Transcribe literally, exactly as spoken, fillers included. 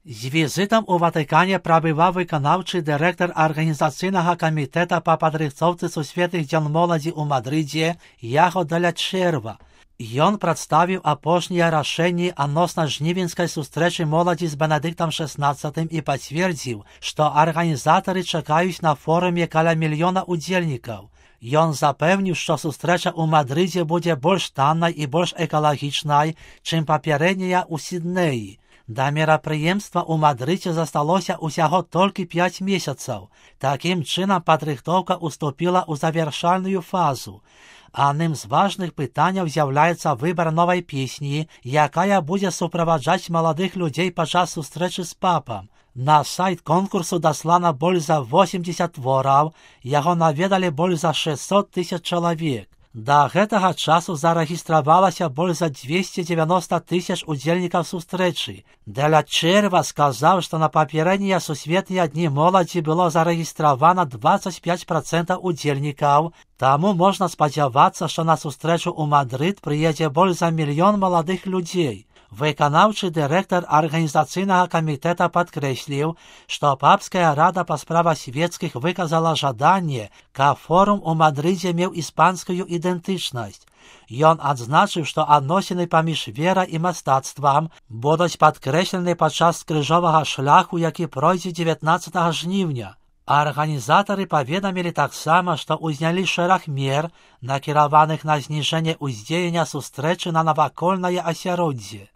З візитам у Ватикані прабываў выканаўчы дырэктар арганізацыйнага камітэта па падрыхтоўцы сусветных дзён моладзі ў Мадрыдзе Яго Деля Чэрва. Ён прадставіў апошнія рашэнні адносна жнівеньскай сустрэчы моладзі з Бенедыктам шэснаццатым і пацвердзіў, што арганізатары чакаюць на форуме каля мільёна удзельнікаў. Ён запэўніў, што сустрэча ў Мадрыдзе будзе больш таннай і больш экалагічнай, чым папярэдняя ў Сіднеі. Да мерапрыемства ў Мадрыдзе засталося ўсяго толькі пяць месяцаў. Такім чынам падрыхтоўка ўступіла ў завяршальную фазу. Адным з важных пытанняў з'яўляецца выбар новай песні, якая будзе суправаджаць маладых людзей падчас сустрэчы з папам. На сайт конкурсу даслана больш за восемьдесят твораў, яго наведалі больш за шэсцьсот тысяч чалавек. Да гэтага часу зарэгістравалася больш за двести девяносто тысяч удзельнікаў сустрэчы. Деля Чэрва сказаў, што на папярэднія сусветныя дні моладзі было зарэгістравана двадцать пять процентов удзельнікаў, таму можна спадзявацца, што на сустрэчу ў Мадрыд прыедзе больш за мільён маладых людзей. Выканаўчы дырэктар арганізацыйнага камітэта падкрэсліў, што папская рада па справах свецкіх выказала жаданне, каб форум у Мадрыдзе меў іспанскую ідэнтычнасць. Ён адзначыў, што адносіны паміж верай і мастацтвам будуць падкрэслены падчас крыжовага шляху, які пройдзе дзевятнаццатага жніўня. Арганізатары паведамілі таксама, што ўзнялі шэраг мер, накіраваных на зніжэнне ўздзеяння сустрэчы на навакольнае асяроддзе.